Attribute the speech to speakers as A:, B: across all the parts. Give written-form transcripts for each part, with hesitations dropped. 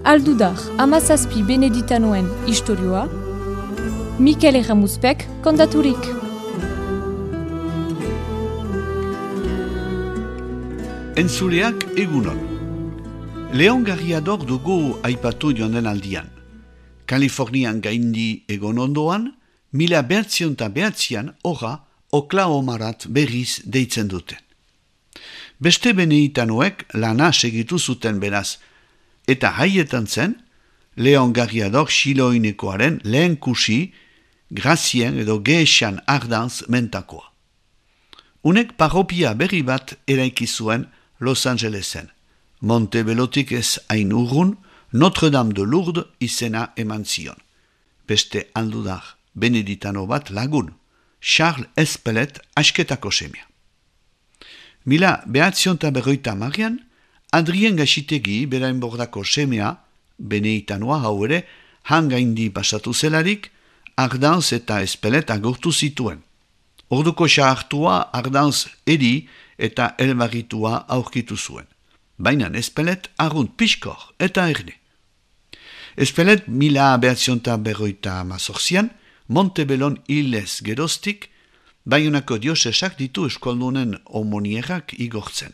A: Aldudar, amazazpi beneditanoen istorioa, Mikel Erramuzpek kontaturik.
B: Entzuleak egunon. Leon Garriador dugu aipatu joan den aldian. Kalifornian gaindi egon ondoan, 1909an ora Oklahomarat berriz deitzen duten. Beste beneditanoek lana segitu zuten beraz, eta haietan zen, Leon Garriador xiloinekoaren lehen kusi, Grazien edo Gehesan Ardanz mentakoa. Unek parropia berri bat eraiki zuen Los Angelesen. Montebelotik ez hain urrun, Notre-Dame de Lourdes izena eman zion. Beste aldudar beneditano bat lagun, Charles Espelet asketako semia. 1950 Adrien Gaxitegi berainbordako semea, beneditanoa hau ere, hangaindi pasatu zelarik, Ardanz eta Espelet agurtu zituen. Orduko xahartua Ardanz eri eta elbarritua aurkitu zuen. Baina Espelet arrunt pixkor eta erne. Espelet 1958an, Montebellon hilez geroztik, Baionako diosesak ditu eskoldunen homonierak igortzen.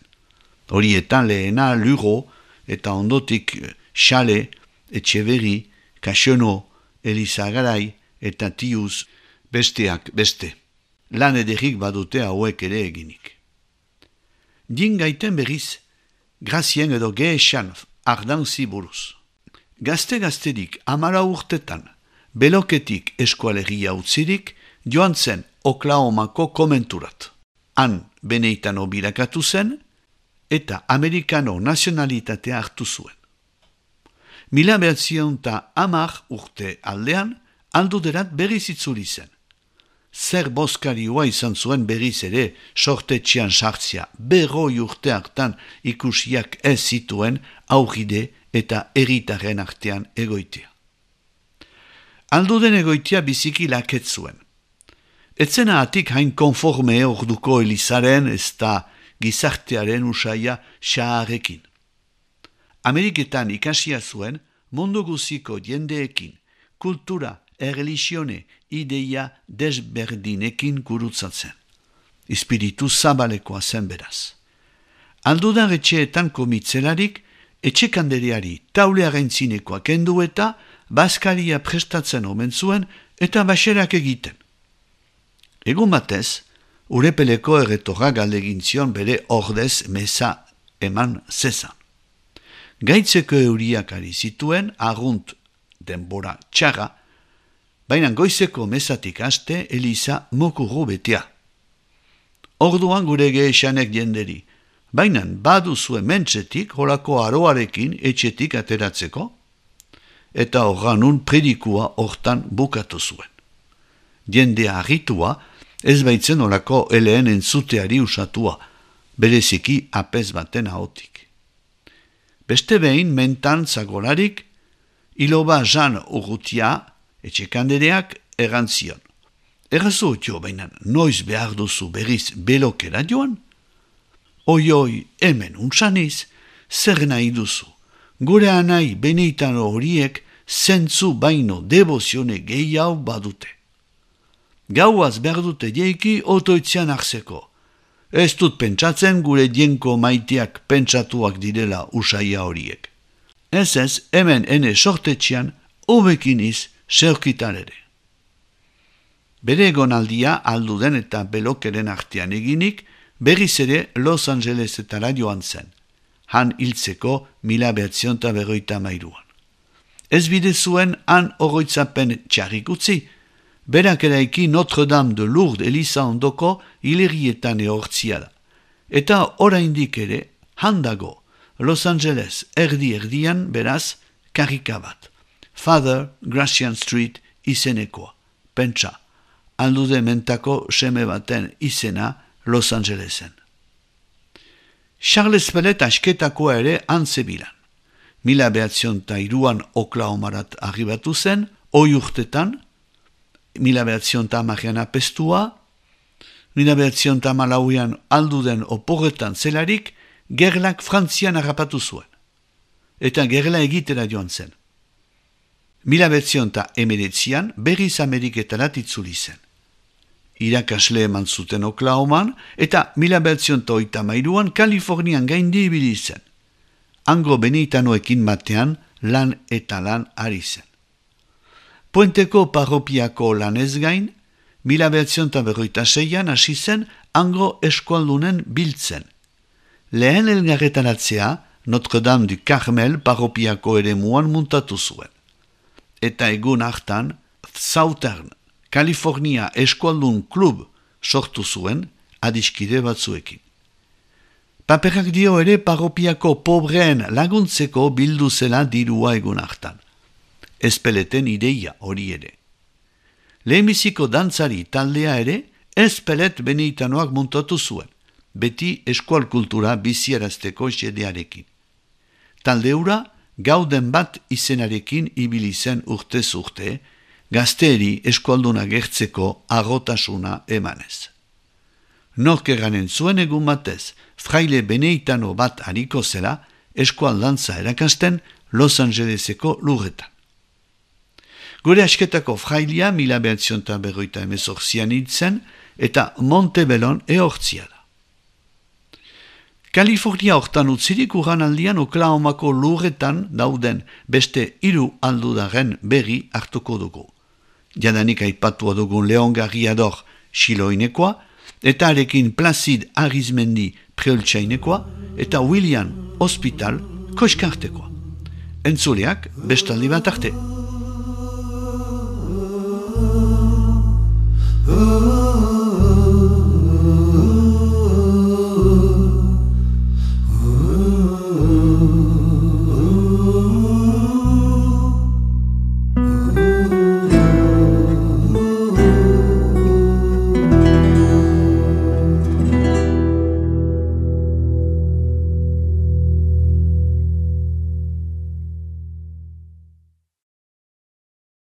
B: Horietan lehena Luro eta ondotik Xale, Etxeberri, Kaxono, Elizagarai eta Tiuz, besteak beste. Lan ederrik badute hauek ere eginik. Din gaiten berriz, Grazien edo Gehesan Ardanzi buruz. Gazte-gazterik 10 urtetan, Beloketik eskualegia utzirik, joan zen Oklahomako komenturat. Han beneditano bilakatu zen, eta amerikano nazionalitatea hartu zuen. 1910 urte aldean, alduderat berriz itzuli zen. Zer bozkarioa izan zuen berriz ere sortetxean sartzia, 100 urte hartan ikusiak ez zituen aurride eta herritarren artean egoitea. Alduden egoitea biziki laket zuen. Etzena atik hain konforme orduko Elizaren ez da gizartearen usaia xaharekin. Ameriketan ikasia zuen mundu guziko jendeekin, kultura, erlixione, ideia desberdinekin gurutzatzen. Espiritu zabalekoa zen beraz. Aldudan etxeetan komitzelarik, etxekanderiari taulearen zinekoa kendu eta bazkaria prestatzen omen zuen eta baxerak egiten. Egun batez, urepeleko erretorra galdegin zion bere ordez meza eman zezan. Gaitzeko euriak ari zituen, arrunt denbora txarra, baina goizeko mezatik haste Eliza mokurru betea. Orduan gure Gehesanek jenderi, baina baduzu hementxetik holako aroarekin etxetik ateratzeko, eta horranun predikua hortan bukatu zuen. Jendea harritua, ez baitzen olako eleen entzuteari usatua, bereziki apez baten ahotik. Beste behin mentan zagolarik, iloba Jan urrutia, etxekandereak errantzion. Errazu otio bainan, noiz behar duzu berriz belokera joan? Oioi, hemen untsaniz, zer nahi duzu? Gure anai beneditano horiek zentzu baino devozione gehiago badute. Gauaz behar dute jeiki otoitzean hartzeko. Ez dut pentsatzen gure dienko maiteak pentsatuak direla usaia horiek. Ez, hemen ene sortetxean hobekiniz seurkitan ere. Bere egonaldia alduden eta belokeren artean eginik, berriz ere Los Angelesetara joan zen. Han hiltzeko 1953an. Ez bide zuen han oroitzapen txarrik utzi, berak eraiki Notre-Dame de Lourdes Eliza ondoko hilerrietan ehortzia da. Eta oraindik ere, handago, Los Angeles erdi-erdian beraz karika bat. Father Gracian Street izenekoa. Pentsa, aldude mentako seme baten izena Los Angelesen. Charles Espelet asketakoa ere antzebilan. 1903an Oklahomarat arribatu zen, 10 urtetan, 1910an apestua, 1908an alduden oporretan zelarik, gerlak Frantzian harrapatu zuen. Eta gerla egitera joan zen. 1919an berriz Ameriketarat itzuli zen. Irakasle eman zuten Oklahoman eta 1933an Kalifornian gaindi ibili zen. Hango benitanoekin batean lan eta lan ari zen. Puenteko parropiako lanez gain, 1946an hasi zen hango eskualdunen biltzen. Lehen elgarretaratzea Notre Dame du Carmel parropiako eremuan muntatu zuen. Eta egun hartan Southern California eskualdun klub sortu zuen adiskide batzuekin. Paperak dio ere parropiako pobreen laguntzeko bildu zela dirua egun hartan. Ezpeleten ideia hori ere. Lehenbiziko dantzari taldea ere ezpelet benitanoak muntatu zuen, beti eskual kultura biziarazteko xedearekin. Taldeura gauden bat izenarekin ibili zen urtez urte, gazteeri eskualduna gertzeko arrotasuna emanez. Nork eranen zuen egun batez, fraile beneitano bat hariko zela, eskualdantza erakasten Los Angeleseko lurretan. Gure asketako frailia 1958an hitzen eta Montebellon ehortzia da. Kalifornia hortan utzirik uranaldian Oklahomako lurretan dauden beste 3 aldudaren berri hartuko dugu. Jadanik aipatua dugun Leon Garriador Xiloinekoa, eta arekin Placid Arizmendi Preoltsainekoa, eta William Hospital Koskartekoa. Entzuleak bestaldi bat arte.